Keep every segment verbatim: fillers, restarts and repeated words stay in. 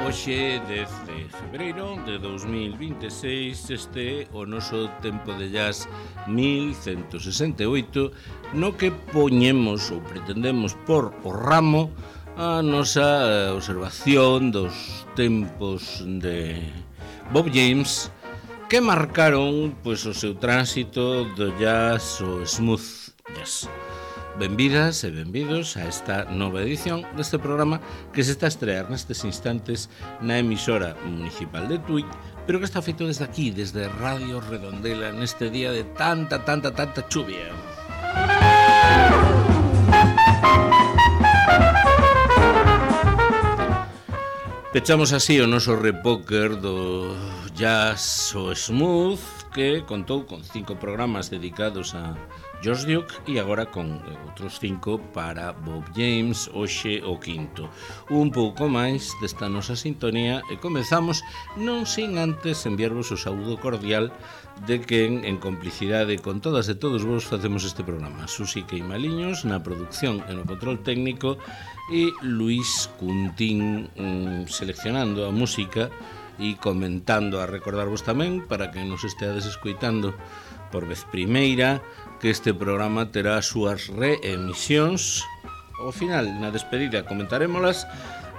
Hoxe, dez de febreiro de dous mil vinte e seis, este é o noso tempo de jazz mil cento sesenta e oito, no que poñemos ou pretendemos por o ramo a nosa observación dos tempos de Bob James que marcaron pois, o seu tránsito do jazz ao smooth jazz. Benvidas e benvidos a esta nova edición deste programa que se está a estrear nestes instantes na emisora municipal de Tui, pero que está feito desde aquí, desde Radio Redondela, neste día de tanta, tanta, tanta chuvia. Pechamos así o noso repóker do jazz o smooth, que contou con cinco programas dedicados a George Duke e agora con outros cinco para Bob James, hoxe o quinto. Un pouco máis desta nosa sintonía e comezamos non sin antes enviarvos o saúdo cordial de que en, en complicidade con todas e todos vos facemos este programa. Susi Queimaliños na produción e no control técnico e Luis Cuntín mm, seleccionando a música e comentando, a recordarvos tamén para que nos esteades escoitando por vez primeira que este programa terá as súas reemisións ao final, na despedida comentarémolas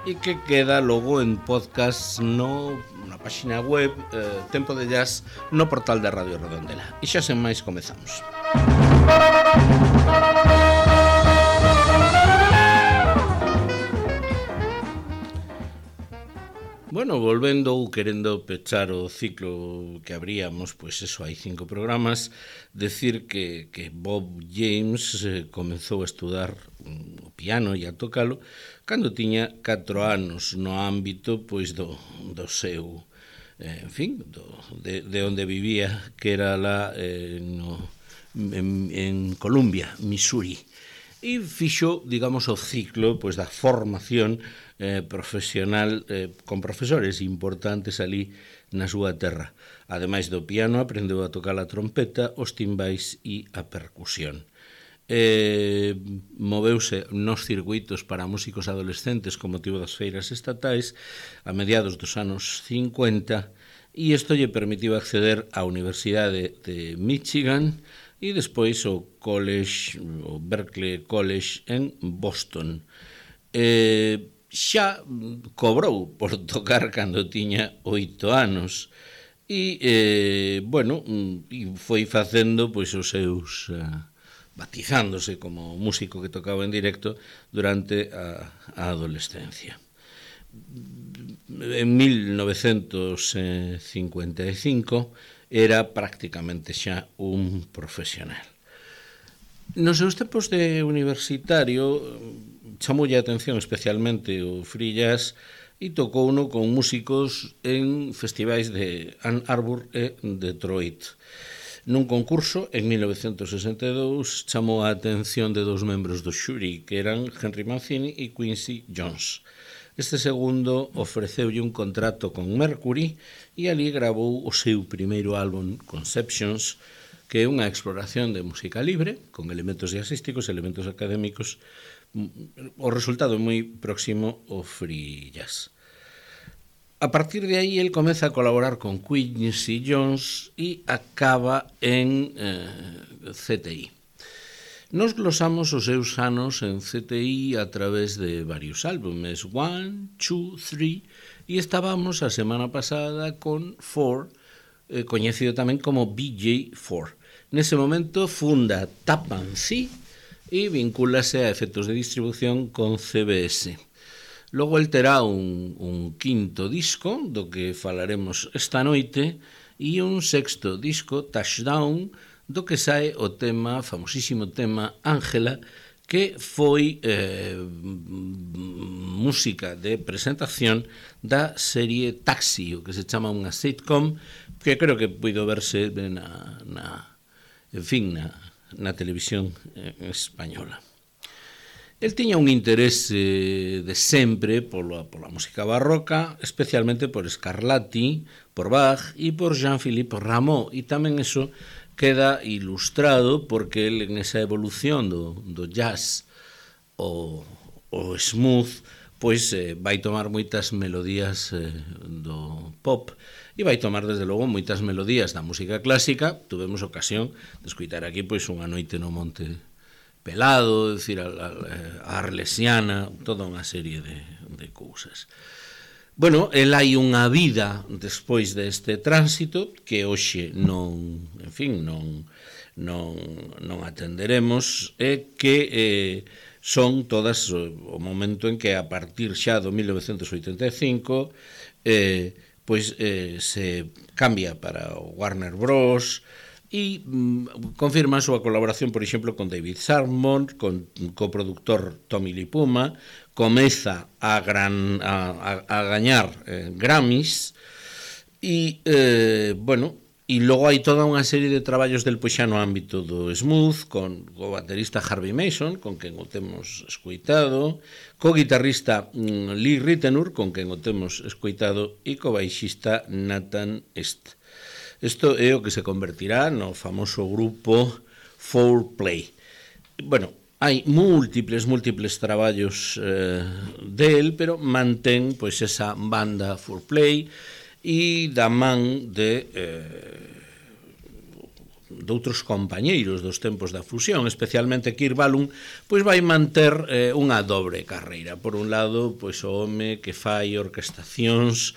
e que queda logo en podcast no, na página web eh, Tempo de Jazz no portal da Radio Redondela. E xa sen máis comezamos. Bueno, volvendo ou querendo pechar o ciclo que abríamos, pois eso, hai cinco programas, decir que, que Bob James eh, comezou a estudar o piano e a tocalo cando tiña catro anos no ámbito pois do, do seu, eh, en fin, do, de, de onde vivía, que era lá eh, no, en, en Columbia, Missouri. E fixo, digamos, o ciclo pois da formación eh, profesional eh, con profesores importantes ali na súa terra. Ademais do piano, aprendeu a tocar a trompeta, os timbais e a percusión. Eh, moveuse nos circuitos para músicos adolescentes con motivo das feiras estatais a mediados dos anos cincuenta e isto lle permitiu acceder á Universidade de Michigan e despois o College, o Berklee College en Boston. Eh, xa cobrou por tocar cando tiña oito anos e, eh, bueno, e foi facendo pois os seus, uh, batizándose como músico que tocaba en directo durante a, a adolescencia. En mil novecentos cincuenta e cinco era prácticamente xa un profesional. Nos seus tempos de universitario chamoulle a atención especialmente o free jazz e tocouno con músicos en festivais de Ann Arbor e Detroit. Nun concurso, en mil novecentos sesenta e dous, chamou a atención de dos membros do xuri, que eran Henry Mancini e Quincy Jones. Este segundo ofreceulle un contrato con Mercury e ali gravou o seu primeiro álbum, Conceptions, que é unha exploración de música libre, con elementos jazzísticos, elementos académicos. O resultado é moi próximo ao free jazz. A partir de aí, el comeza a colaborar con Quincy Jones e acaba en eh, C T I. Nos glosamos os seus anos en C T I a través de varios álbumes, One, Two, Three, e estábamos a semana pasada con Four, eh, coñecido tamén como B J Four. Nese momento funda Tappan Zee e vincúlase a efectos de distribución con C B S. Logo el terá un, un quinto disco, do que falaremos esta noite, e un sexto disco, Touchdown, do que sae o tema, famosísimo tema Ángela, que foi eh, música de presentación da serie Taxi, o que se chama unha sitcom, que creo que puido verse na, na, en fin, na, na televisión española. El tiña un interese de sempre pola, pola música barroca, especialmente por Scarlatti, por Bach e por Jean-Philippe Rameau, e tamén eso queda ilustrado porque el en esa evolución do, do jazz o, o smooth pois eh, vai tomar moitas melodías eh, do pop e vai tomar, desde logo, moitas melodías da música clásica. Tuvemos ocasión de escutar aquí pois Unha noite no monte pelado, decir, a, a, a Arlesiana, toda unha serie de, de cousas. Bueno, el hai unha vida despois deste tránsito que hoxe non, en fin, non, non, non atenderemos, e que eh, son todas o momento en que a partir xa do mil novecentos oitenta e cinco eh, pois eh, se cambia para o Warner Bros. E mm, confirma a súa colaboración, por exemplo, con David Salmon, con coproductor Tommy Lee Puma, comeza a, gran, a, a, a gañar eh, Grammys, e, eh, bueno, e logo hai toda unha serie de traballos del pois xa no ámbito do smooth, con o baterista Harvey Mason, con quen o temos escoitado, co guitarrista mm, Lee Ritenour, con quen o temos escoitado, e co baixista Nathan East. Isto é o que se convertirá no famoso grupo four play. Bueno, hai múltiples, múltiples traballos eh, del, pero mantén pois esa banda four play, e da man de eh, de outros compañeiros dos tempos da fusión, especialmente Kirk Whalum, pois vai manter eh, unha dobre carreira. Por un lado, pois o home que fai orquestacións,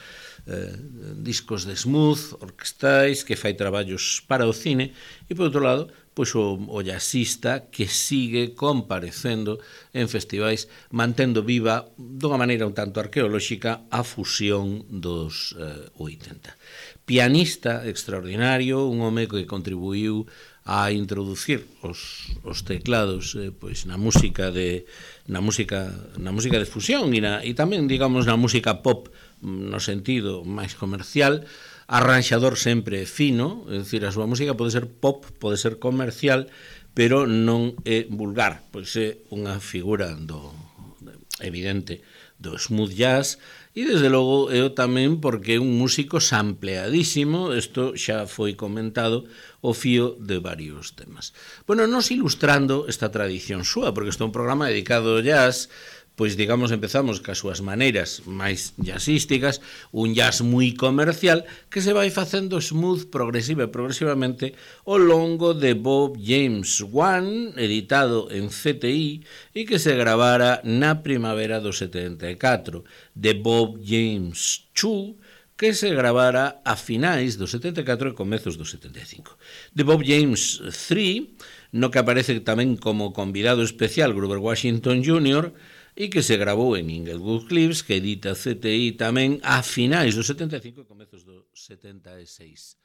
eh, discos de smooth, orquestais, que fai traballos para o cine, e por outro lado, pois o, o jazzista que sigue comparecendo en festivais, mantendo viva, dunha maneira un tanto arqueolóxica, a fusión dos eh, oitenta. Pianista extraordinario, un home que contribuiu a introducir os, os teclados eh, pois na música de na música na música de fusión e, na, e tamén, digamos, na música pop no sentido máis comercial. Arranxador sempre fino, é dicir, a súa música pode ser pop, pode ser comercial, pero non é vulgar, pois é unha figura do evidente do smooth jazz, e desde logo eu tamén porque é un músico sampleadísimo. Isto xa foi comentado o fío de varios temas. Bueno, nos ilustrando esta tradición súa, porque isto é un programa dedicado ao jazz, pois, digamos, empezamos cas súas maneiras máis jazzísticas, un jazz moi comercial que se vai facendo smooth progresiva e progresivamente ao longo de Bob James one, editado en C T I e que se gravara na primavera do setenta e catro, de Bob James two, que se gravara a finais do setenta e catro e comezos do setenta e cinco. De Bob James three, no que aparece tamén como convidado especial Grover Washington júnior, e que se gravou en Inglewood Cliffs, que edita C T I tamén a finais do setenta e cinco e comezos do setenta e seis.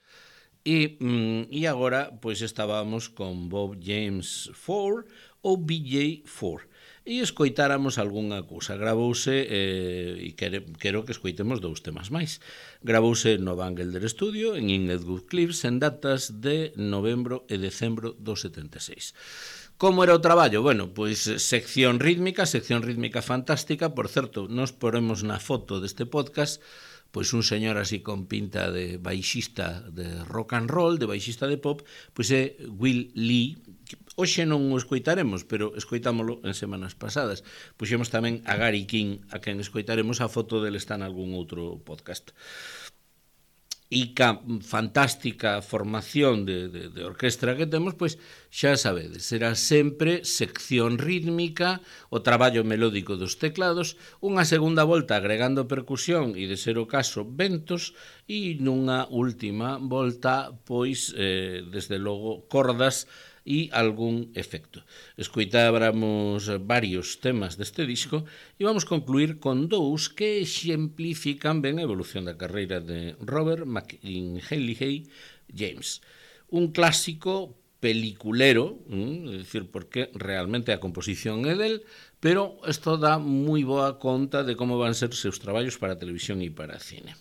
E, mm, e agora, pois, estábamos con Bob James four ou B J four. E escoitáramos algunha cousa. Gravouse, eh, e quere, quero que escoitemos dous temas máis. Gravouse no Van Gelder Studio, en Inglewood Cliffs, en datas de novembro e decembro do setenta e seis. Como era o traballo? Bueno, pois sección rítmica, sección rítmica fantástica. Por certo, nos poremos na foto deste podcast pois un señor así con pinta de baixista de rock and roll, de baixista de pop, pois é Will Lee. Hoxe non o escoitaremos, pero escoitámolo en semanas pasadas. Puxemos tamén a Gary King, a quen escoitaremos, a foto dele está en algún outro podcast. E ca fantástica formación de, de, de orquestra que temos, pois xa sabedes, será sempre sección rítmica, o traballo melódico dos teclados, unha segunda volta agregando percusión e, de ser o caso, ventos, e nunha última volta, pois, eh, desde logo, cordas e algún efecto. Escoitáramos varios temas deste disco e vamos concluir con dous que exemplifican ben a evolución da carreira de Robert McIlheney James. Un clásico peliculero, é dicir, porque realmente a composición é del, pero isto dá moi boa conta de como van ser seus traballos para televisión e para cine.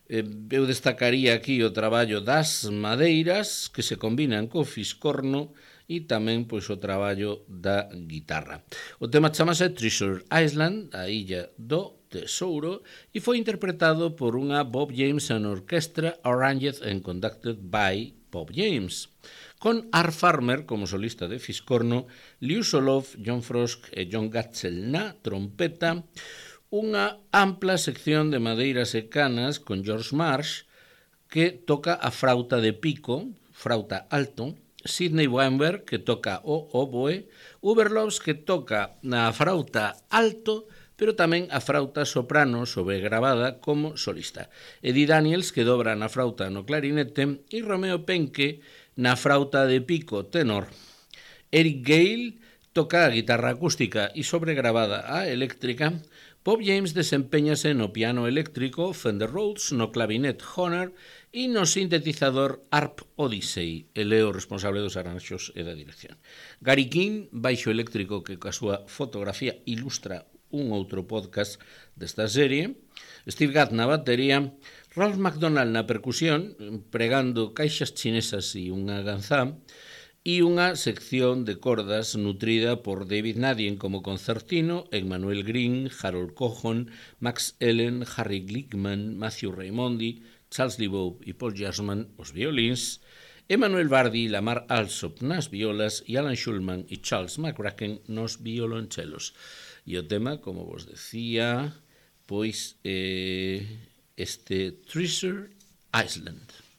Eu destacaría aquí o traballo das madeiras que se combinan co fiscorno e tamén pois o traballo da guitarra. O tema chamase Treasure Island, a illa do tesouro, e foi interpretado por unha Bob James and Orchestra arranged and conducted by Bob James, con Art Farmer como solista de fiscorno, Liu Solov, John Frost e John Gatzel na trompeta, unha ampla sección de madeiras e canas con George Marsh, que toca a frauta de pico, frauta alto, Sidney Weinberg, que toca o oboe, Uberlovs, que toca na frauta alto, pero tamén a frauta soprano sobregravada como solista. Eddie Daniels, que dobra na frauta no clarinete, e Romeo Penke na frauta de pico tenor. Eric Gale toca a guitarra acústica e sobregravada a eléctrica. Bob James desempeñase no piano eléctrico, Fender Rhodes, no clavinet Honor e no sintetizador Harp Odyssey. Ele é o responsable dos arranxos e da dirección. Gary King, baixo eléctrico, que coa súa fotografía ilustra un outro podcast desta serie. Steve Gadd na batería. Ralph McDonald na percusión, pregando caixas chinesas e unha ganzá. E unha sección de cordas nutrida por David Nadien como concertino, Emmanuel Green, Harold Cohon, Max Ellen, Harry Glickman, Matthew Raimondi, Charles Lebow e Paul Jasman os violins, Emmanuel Bardi e Lamar Alsop nas violas e Alan Schulman e Charles McCracken nos violonchelos. E o tema, como vos decía, pois eh, este Treasure Island.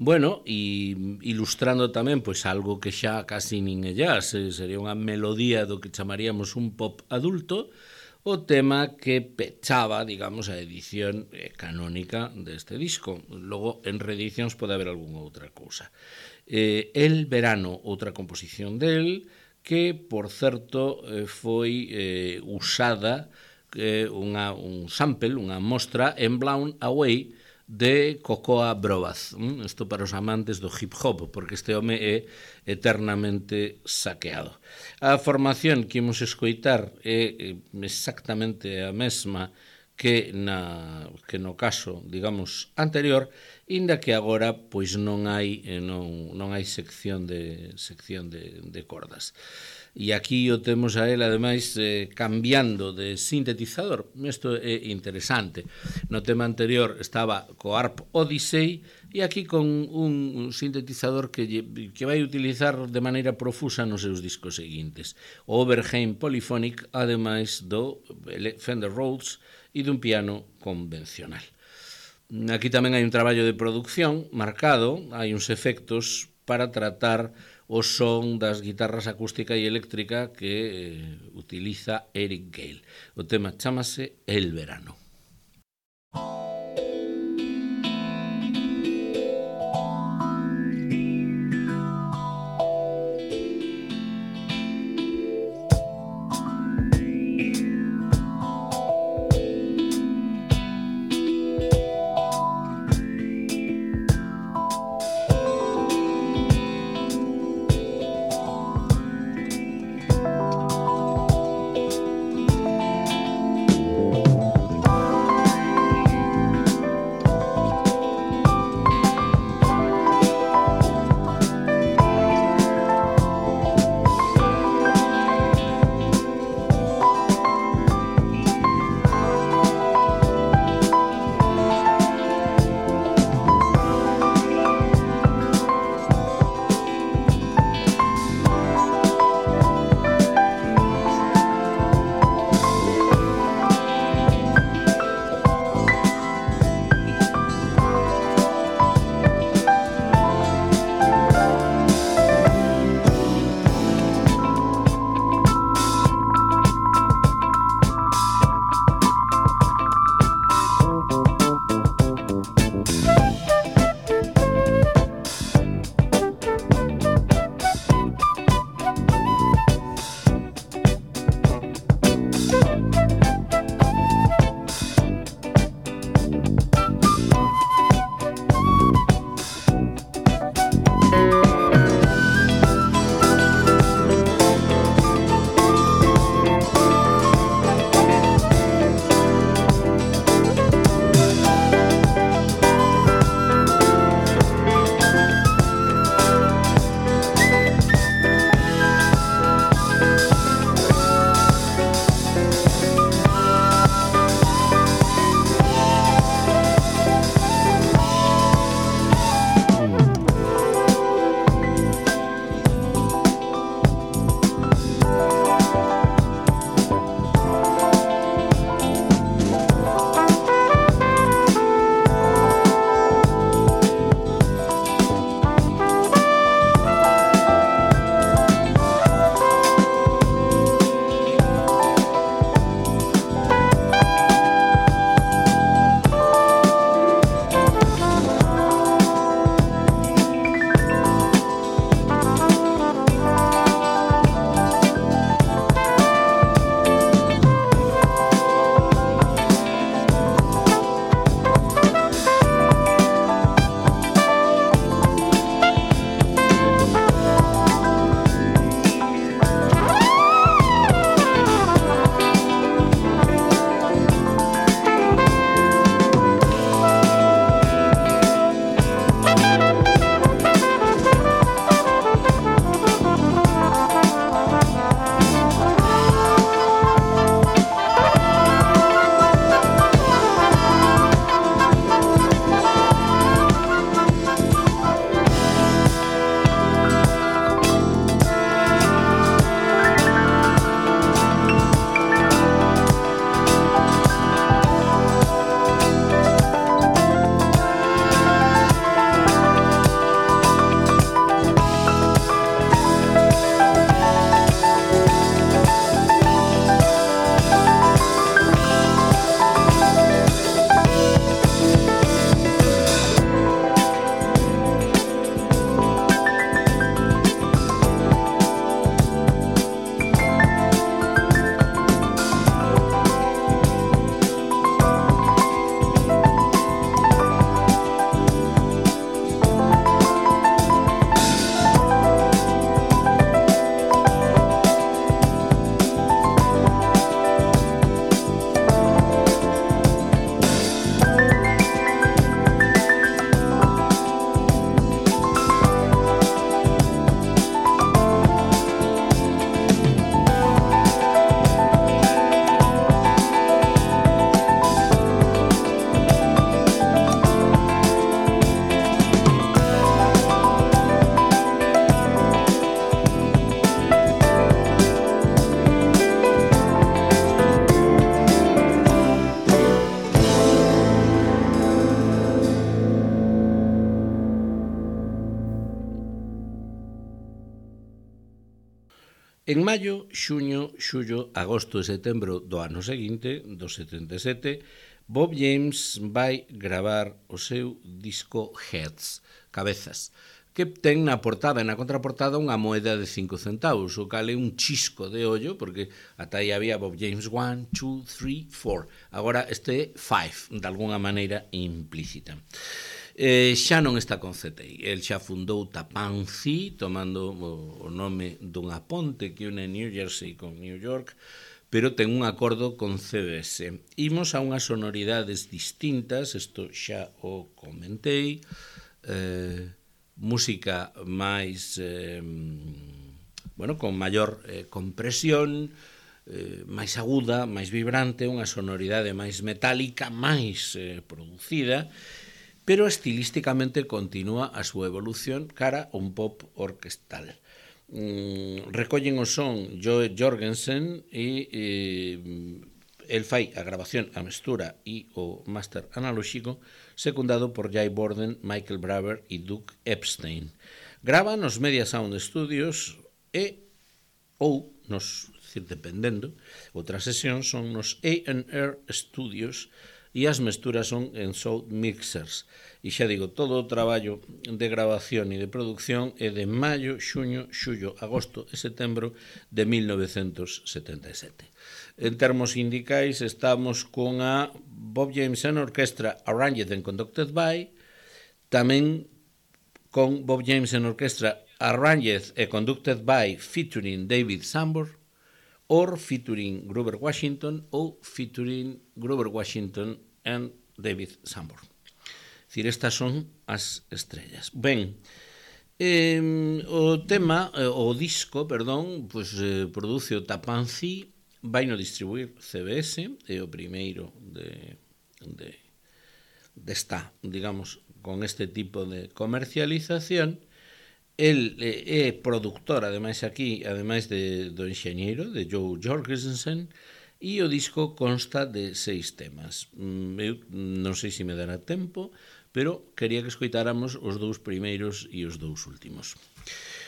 Bueno, e ilustrando tamén pois algo que xa casi nin é jazz, sería unha melodía do que chamaríamos un pop adulto, o tema que pechaba, digamos, a edición canónica deste disco. Logo, en reedicións pode haber algunha outra cousa. Eh, El Verano, outra composición del, que, por certo, foi eh, usada eh, unha, un sample, unha mostra en Blown Away, de Cocoa Brovaz. Isto para os amantes do hip hop, porque este home é eternamente saqueado. A formación que imos escoitar é exactamente a mesma que, na, que no caso, digamos, anterior, inda que agora pois non hai non, non hai sección de sección de, de cordas. E aquí o temos a él, ademais, eh, cambiando de sintetizador. Isto é interesante. No tema anterior estaba co Harp Odyssey e aquí con un sintetizador que, que vai utilizar de maneira profusa nos seus discos seguintes. O Oberheim Polyphonic, ademais do Fender Rhodes e dun piano convencional. Aquí tamén hai un traballo de producción marcado, hai uns efectos para tratar o son das guitarras acústica e eléctrica que eh, utiliza Eric Gale. O tema chámase El Verano. En maio, xuño, xullo, agosto e setembro do ano seguinte, do setenta e sete, Bob James vai gravar o seu disco Heads, Cabezas, que ten na portada e na contraportada unha moeda de cinco centavos, o cal é un chisco de ollo, porque ata aí había Bob James one, two, three, four. Agora este é five, de alguna maneira implícita. Eh, xa non está con C T I, el xa fundou Tapanci, tomando o, o nome dunha ponte que une New Jersey con New York, pero ten un acordo con C B S. Imos a unhas sonoridades distintas, isto xa o comentei, eh, música máis, eh, bueno, con maior eh, compresión, eh, máis aguda, máis vibrante, unha sonoridade máis metálica, máis eh, producida, pero estilísticamente continúa a súa evolución cara a un pop orquestal. Mm, recollen o son Joe Jorgensen e eh, el fai a grabación, a mestura e o máster analóxico, secundado por Jay Borden, Michael Braver e Doug Epstein. Grava nos Media Sound Studios e ou nos, decir, dependendo, outras sesións son nos A and R Studios e as mesturas son en Sound Mixers. E xa digo, todo o traballo de grabación e de producción é de maio, xuño, xullo, agosto e setembro de mil novecentos setenta e sete. En termos sindicais, estamos con a Bob James and Orchestra Arranged and Conducted by, tamén con Bob James and Orchestra Arranged and Conducted by featuring David Sanborn, or featuring Grover Washington ou featuring Grover Washington and David Sanborn. Es decir, estas son as estrellas. Ben, eh, o tema, eh, o disco, perdón, pues, eh, produce o Tapanci, vai no distribuir C B S, é o primeiro de, de, desta, digamos, con este tipo de comercialización. El é productor, ademais aquí, ademais de, do enxeñeiro, de Joe Jorgensen, e o disco consta de seis temas. Eu non sei se me dará tempo, pero quería que escoitáramos os dous primeiros e os dous últimos.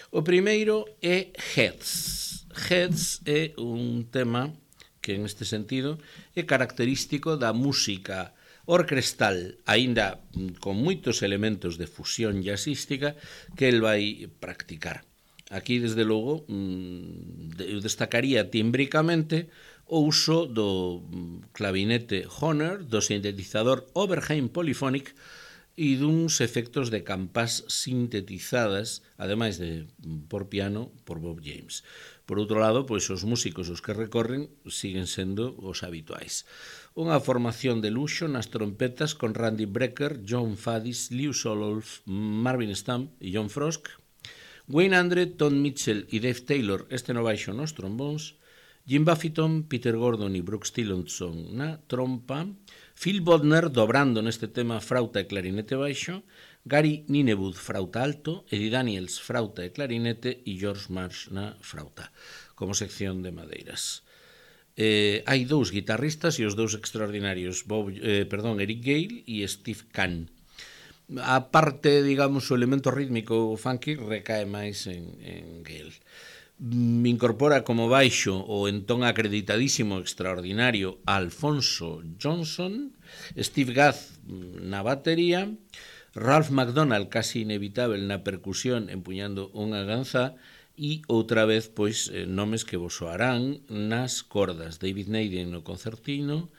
O primeiro é Heads. Heads é un tema que, en este sentido, é característico da música orquestal, aínda con moitos elementos de fusión jazzística que el vai practicar. Aquí, desde logo, eu destacaría tímbricamente o uso do clavinete Hohner, do sintetizador Oberheim Polyphonic e duns efectos de campás sintetizadas, ademais de por piano, por Bob James. Por outro lado, pois os músicos os que recorren siguen sendo os habituais. Unha formación de luxo nas trompetas con Randy Brecker, John Faddis, Lew Sololf, Marvin Stump e John Frost, Wayne Andre, Tom Mitchell e Dave Taylor, este no baixo nos trombóns, Jim Buffington, Peter Gordon e Brooks Tillotson na trompa, Phil Bodner dobrando neste tema frauta e clarinete baixo, Gary Ninewood frauta alto, Eddie Daniels frauta e clarinete e George Marsh na frauta, como sección de madeiras. Eh, hai dous guitarristas e os dous extraordinarios, Bob, eh, perdón, Eric Gale e Steve Kahn. A parte, digamos, o elemento rítmico funky recae máis en, en Gale. Me incorpora como baixo o entón acreditadísimo extraordinario Alfonso Johnson, Steve Gadd na batería, Ralph McDonald, casi inevitable na percusión, empuñando unha ganza, e outra vez, pois, nomes que vos soarán nas cordas, David Naden no concertino,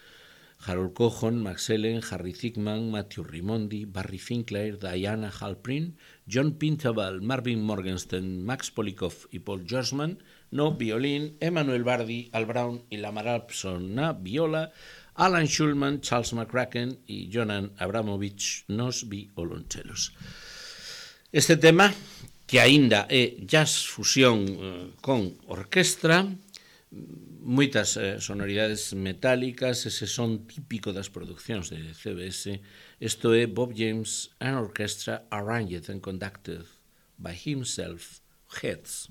Harold Cohon, Max Ellen, Harry Zickman, Matthew Rimondi, Barry Finkler, Diana Halprin, John Pintabal, Marvin Morgenstern, Max Polikoff e Paul Gersman no violín, Emmanuel Bardi, Al Brown e Lamar Alpson na viola, Alan Schulman, Charles McCracken e Jonan Abramovich nos violonchelos. Este tema, que aínda é jazz fusión eh, con orquestra, moitas eh, sonoridades metálicas, ese son típico das produccións de C B S. Isto é Bob James and Orchestra Arranged and Conducted by himself, Heads.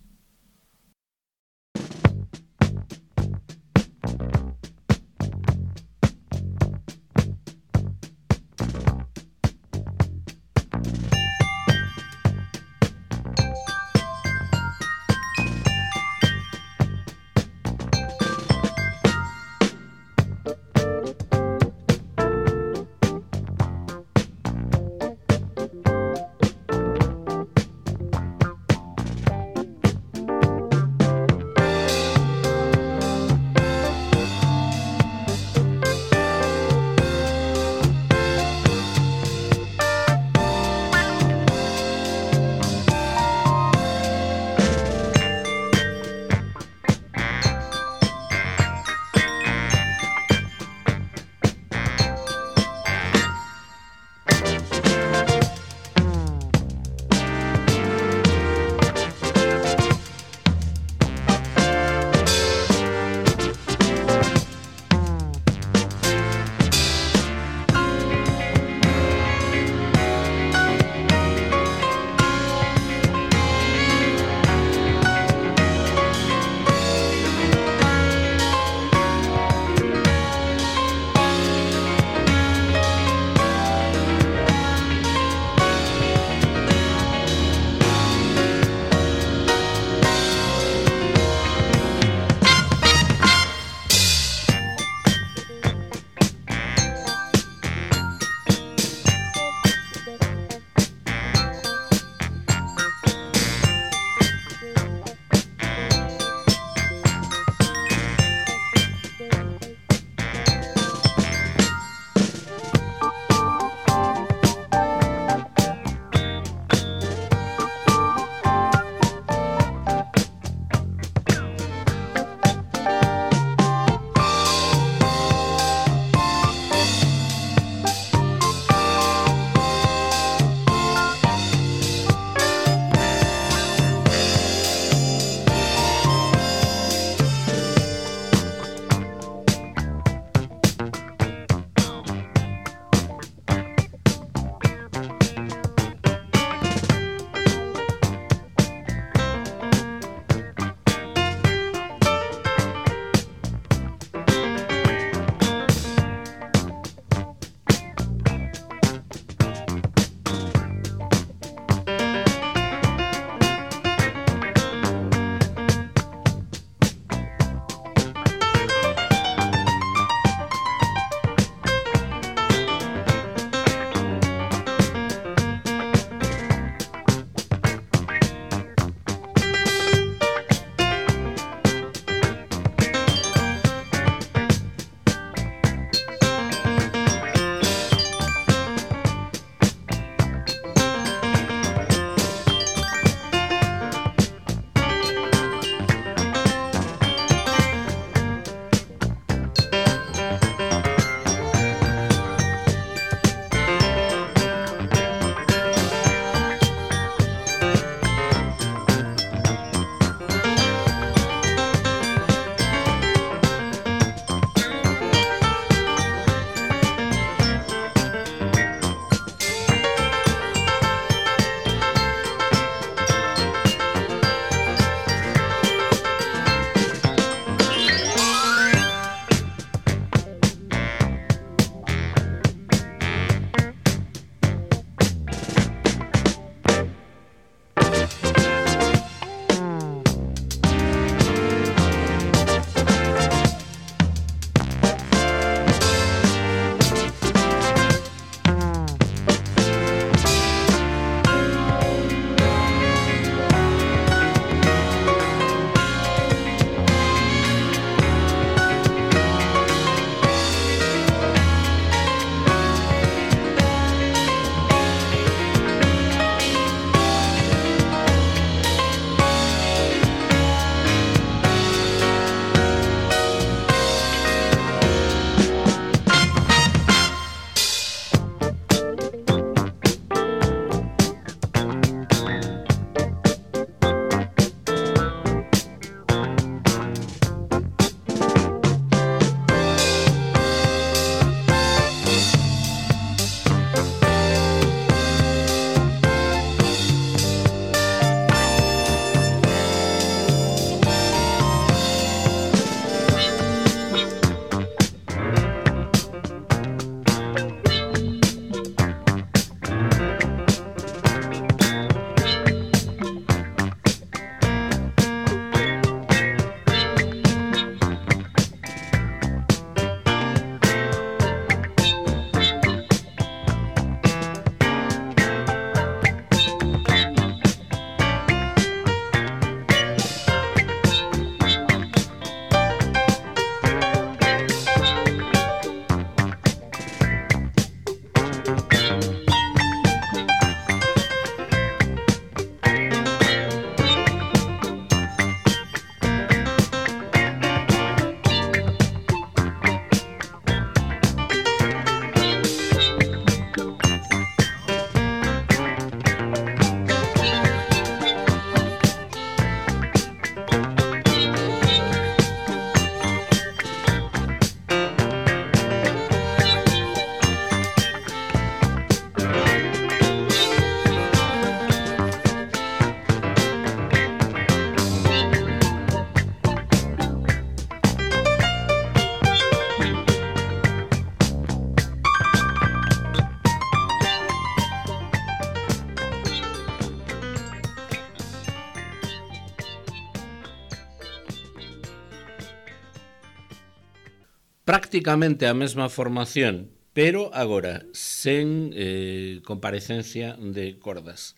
prácticamente a mesma formación, pero agora sen eh, comparecencia de cordas.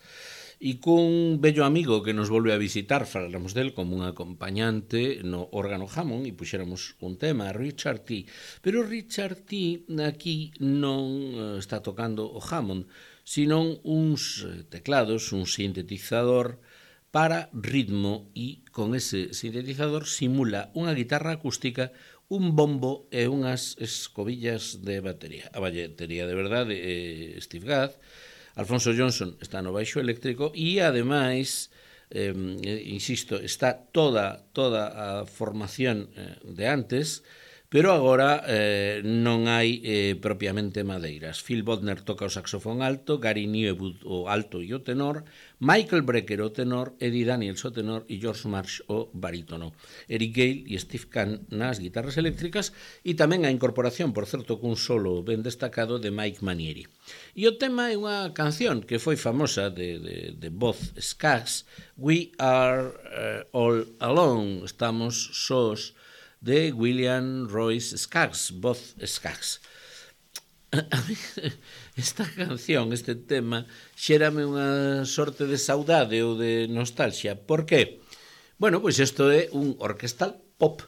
E cun bello amigo que nos volve a visitar, falamos del como un acompañante no órgano Hammond e puxéramos un tema, Richard T. Pero Richard T aquí non está tocando o Hammond, sino uns teclados, un sintetizador para ritmo e con ese sintetizador simula unha guitarra acústica, un bombo e unhas escobillas de batería. A batería de verdade é Steve Gadd. Alfonso Johnson está no baixo eléctrico e, ademais, eh, insisto, está toda toda a formación eh, de antes, pero agora eh, non hai eh, propiamente madeiras. Phil Bodner toca o saxofón alto, Gary Newwood o alto e o tenor, Michael Brecker o tenor, Eddie Daniels o tenor e George Marsh o barítono. Eric Gale e Steve Kahn nas guitarras eléctricas e tamén a incorporación, por certo, cun solo ben destacado de Mike Manieri. E o tema é unha canción que foi famosa de, de, de voz Skaggs, We Are uh, All Alone, estamos sós, de William Royce Skaggs, voz Skaggs. Esta canción, este tema, xérame unha sorte de saudade ou de nostalgia. Por qué? Bueno, pois isto é un orquestal pop,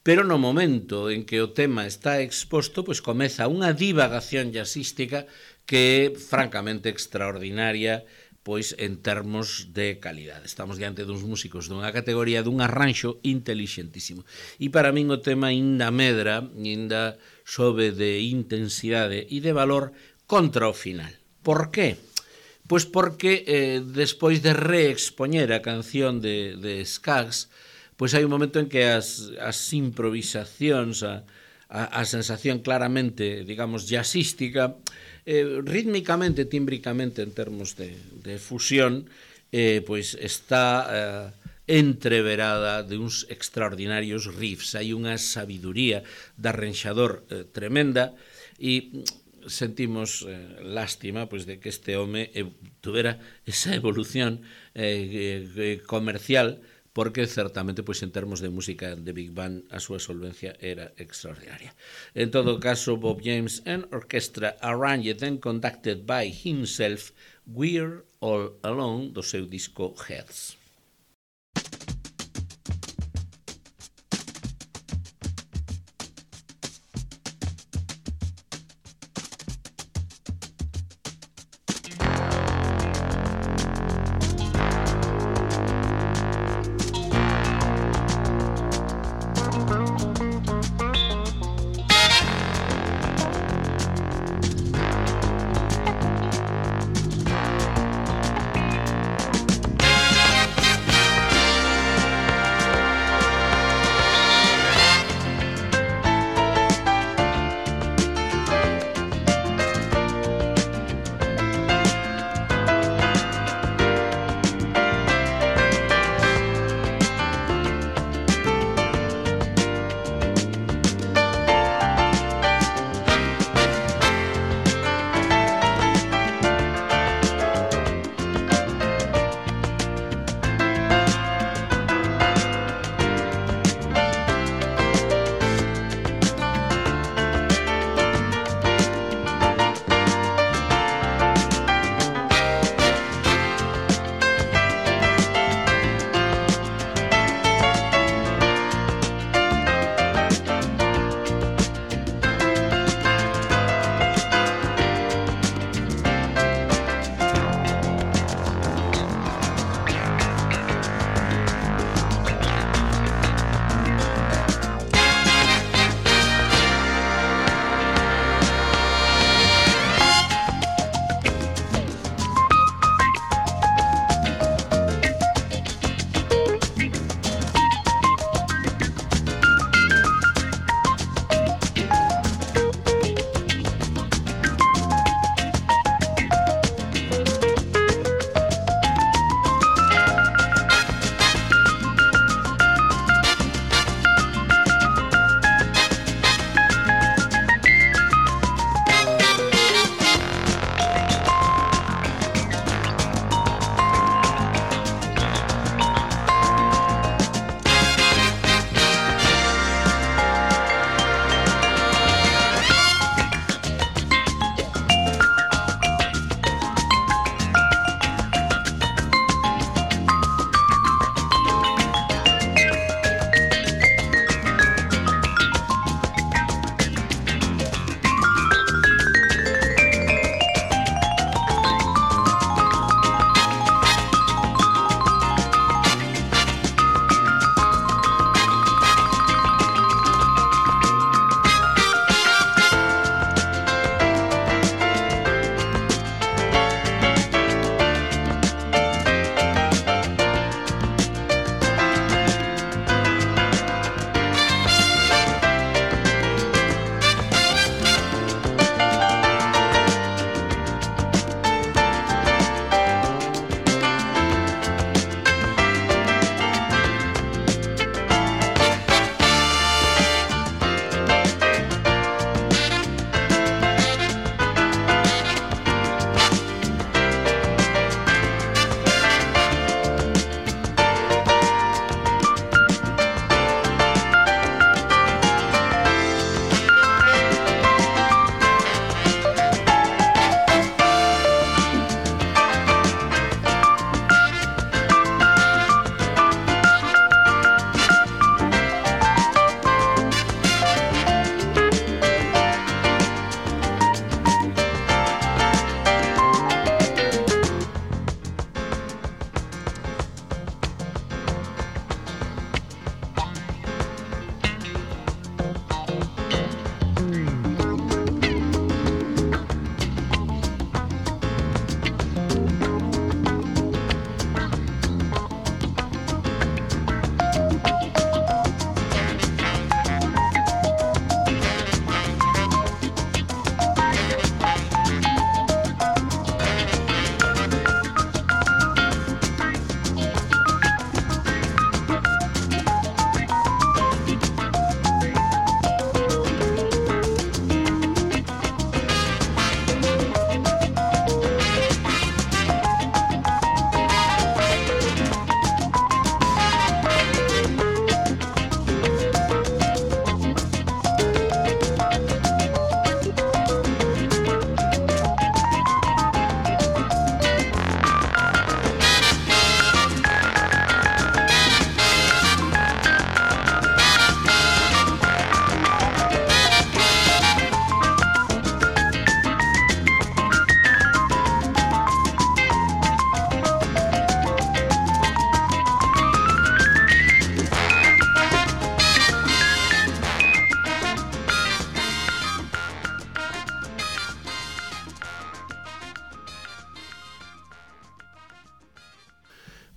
pero no momento en que o tema está exposto, pois comeza unha divagación jazzística que é francamente extraordinaria, pois en termos de calidade. Estamos diante duns músicos dunha categoría, dun arranxo inteligentísimo. E para min o tema inda medra, inda sobe de intensidade e de valor contra o final. Por qué? Pois porque eh, despois de reexpoñer a canción de, de Skaggs, pois hai un momento en que as, as improvisacións, a, a, a sensación claramente, digamos, jazzística, eh, rítmicamente, tímbricamente, en termos de, de fusión, eh, pois está eh, entreverada de uns extraordinarios riffs. Hai unha sabiduría de arranxador eh, tremenda e sentimos eh, lástima pois de que este home eh, tuvera esa evolución eh, eh, comercial, porque certamente, pois, en termos de música de Big Band, a súa solvencia era extraordinaria. En todo caso, Bob James and Orchestra, arranged and conducted by himself, We're All Alone, do seu disco Heads.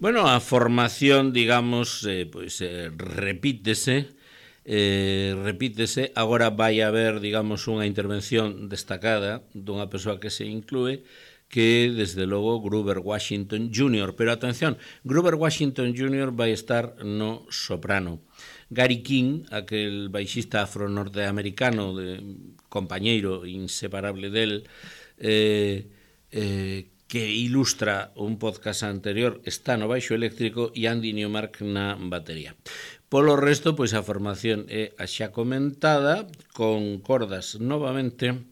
Bueno, a formación, digamos, eh, pois eh, repítese, eh, repítese, agora vai haber, digamos, unha intervención destacada dunha persoa que se inclúe, que, desde logo, Grover Washington júnior Pero, atención, Grover Washington júnior vai estar no soprano. Gary King, aquel baixista afro-norteamericano, de, compañeiro inseparable del, eh, eh, que ilustra un podcast anterior, está no baixo eléctrico, e Andy Newmark na batería. Polo resto, pois a formación é a xa comentada, con cordas novamente,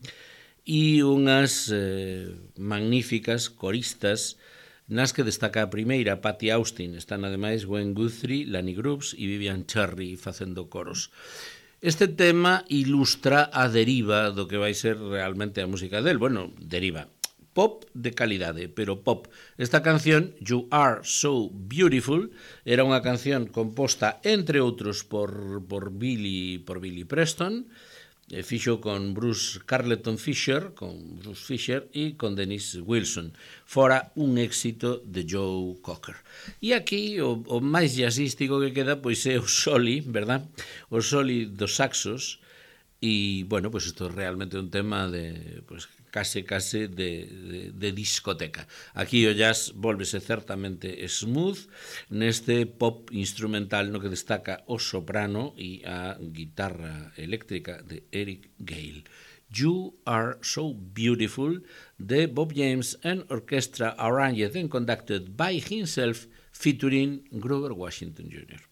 e unhas eh, magníficas coristas, nas que destaca a primeira, Patty Austin. Están ademais Gwen Guthrie, Lani Grubbs e Vivian Cherry facendo coros. Este tema ilustra a deriva do que vai ser realmente a música del. Bueno, deriva. Pop de calidade, pero pop. Esta canción, You Are So Beautiful, era unha canción composta, entre outros, por, por, Billy, por Billy Preston, e fixo con Bruce Carleton Fisher, con Bruce Fisher e con Dennis Wilson. Fora un éxito de Joe Cocker. E aquí o, o máis jazzístico que queda pois é o soli, verdad? O soli dos saxos. E, bueno, pois isto é realmente un tema de, pois, case, case de, de, de discoteca. Aquí o jazz volvese certamente smooth, neste pop instrumental no que destaca o soprano e a guitarra eléctrica de Eric Gale. You Are So Beautiful, de Bob James and Orchestra, arranged and conducted by himself, featuring Grover Washington júnior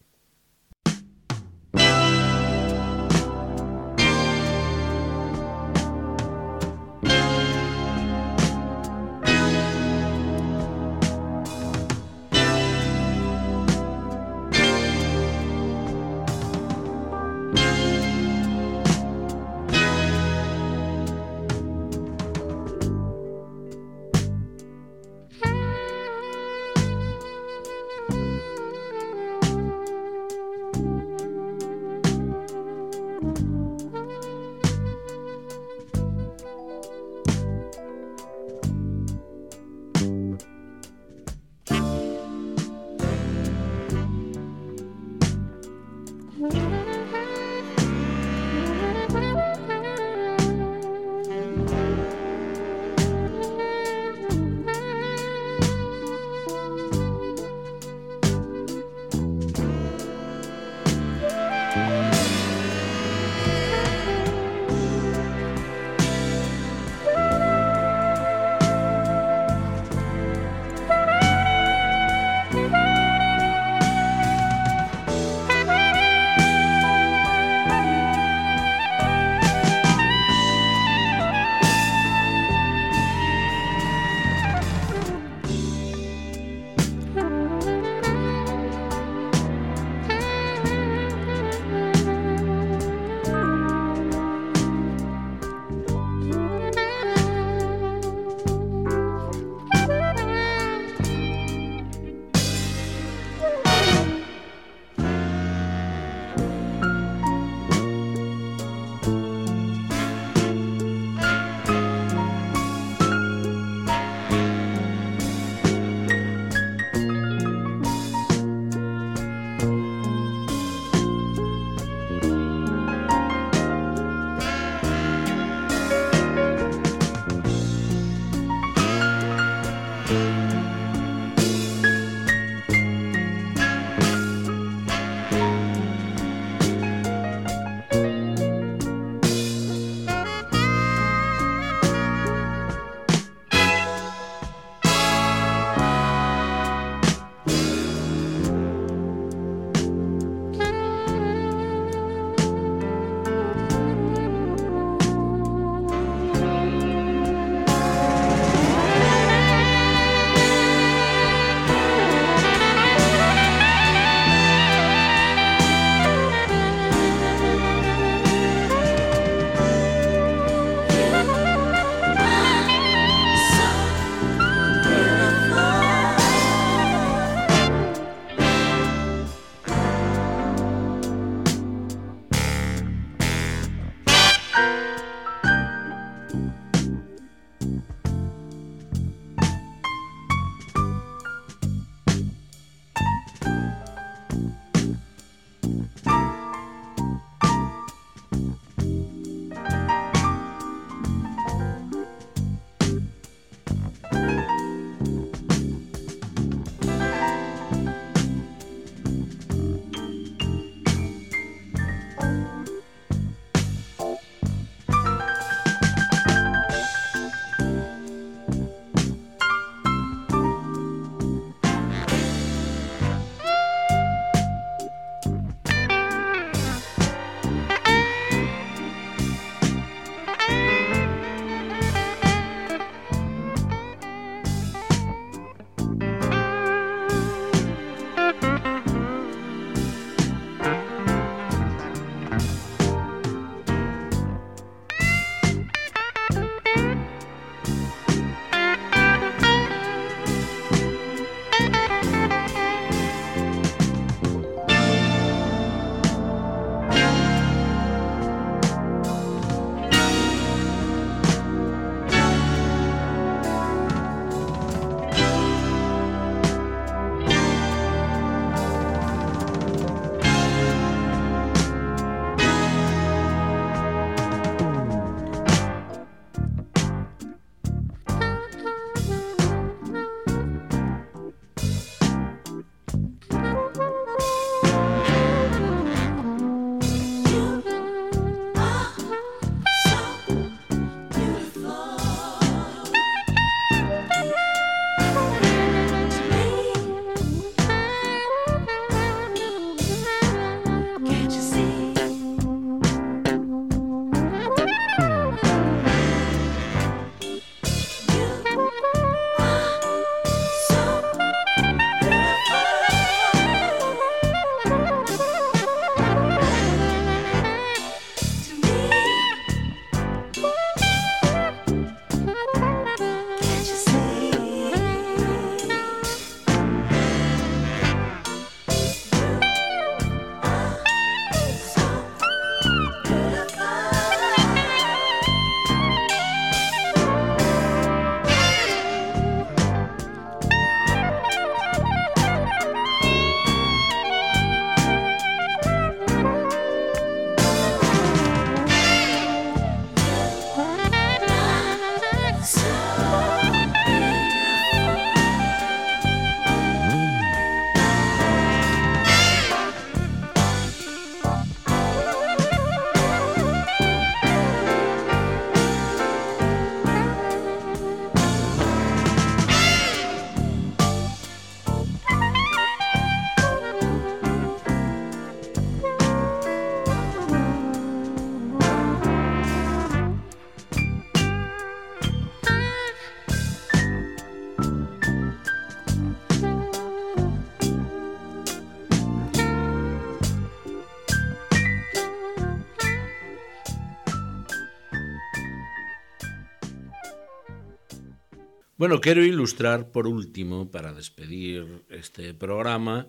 Bueno, quero ilustrar por último, para despedir este programa,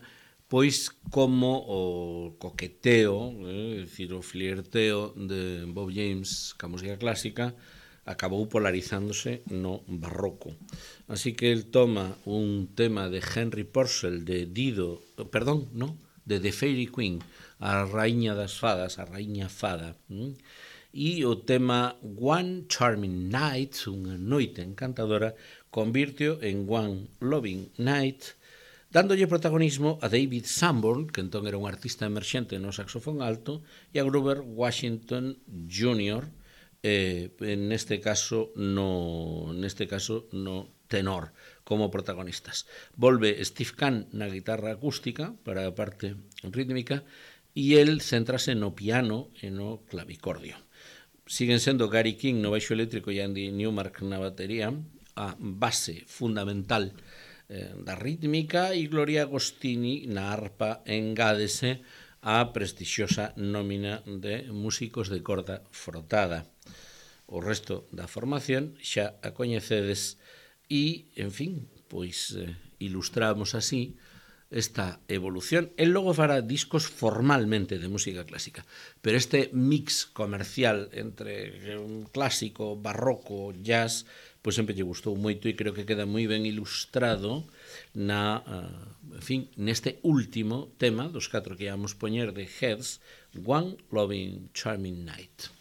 pois como o coqueteo, eh, dicir, o flirteo de Bob James ca música clásica acabou polarizándose no barroco. Así que el toma un tema de Henry Purcell, de Dido, perdón, no, de The Fairy Queen, a raíña das fadas, a raíña fada, hm? E o tema One Charming Night, unha noite encantadora, convirtio en One Loving Night, dándolle protagonismo a David Sanborn, que entón era un artista emerxente no saxofón alto, e a Grover Washington júnior, eh, neste caso no neste caso no tenor como protagonistas. Volve Steve Kahn na guitarra acústica para a parte rítmica e el céntrase no piano e no clavicordio. Siguen sendo Gary King no baixo eléctrico e Andy Newmark na batería, a base fundamental eh, da rítmica, e Gloria Agostini na arpa engádese a prestixiosa nómina de músicos de corda frotada. O resto da formación xa a coñecedes e, en fin, pois eh, ilustramos así esta evolución. El logo fará discos formalmente de música clásica, pero este mix comercial entre un clásico, barroco, jazz, pois sempre lle gustou moito e creo que queda moi ben ilustrado na, uh, en fin, neste último tema dos catro que íamos poñer de Heads, One Loving Charming Night.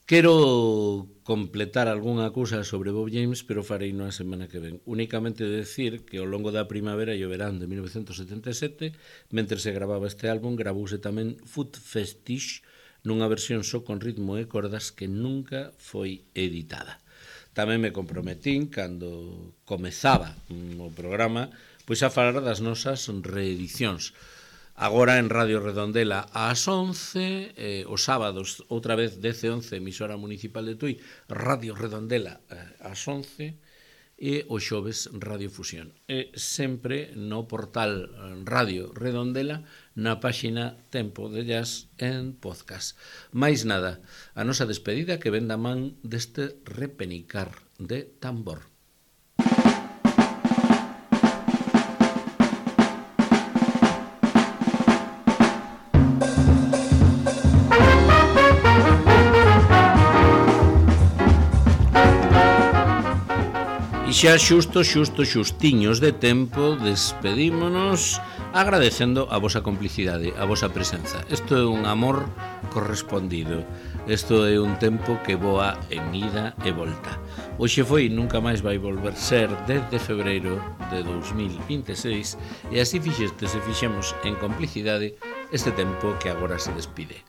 Quero completar algunha cousa sobre Bob James, pero farei na semana que ven. Únicamente decir que ao longo da primavera e o verán de mil novecentos setenta e sete, mentre se gravaba este álbum, gravouse tamén Foot Fetish, nunha versión só con ritmo e cordas que nunca foi editada. Tamén me comprometín, cando comezaba o programa, pois a falar das nosas reedicións. Agora en Radio Redondela ás once, eh, os sábados, outra vez dece once, emisora municipal de Tui, Radio Redondela eh, ás once, e o xoves Radio Fusión. E sempre no portal Radio Redondela, na páxina Tempo de Jazz en podcast. Mais nada, a nosa despedida que ven da man deste repenicar de tambor. E xa xusto, xusto, xustiños de tempo, despedímonos agradecendo a vosa complicidade, a vosa presenza. Isto é un amor correspondido. Isto é un tempo que voa en ida e volta. Hoxe foi, nunca máis vai volver ser, desde febreiro de dous mil vinte e seis, e así fixestes e fixemos en complicidade este tempo que agora se despide.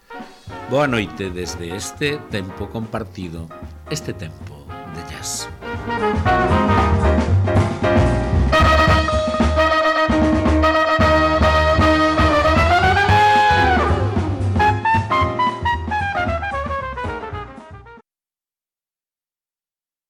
Boa noite desde este tempo compartido, este tempo de jazz.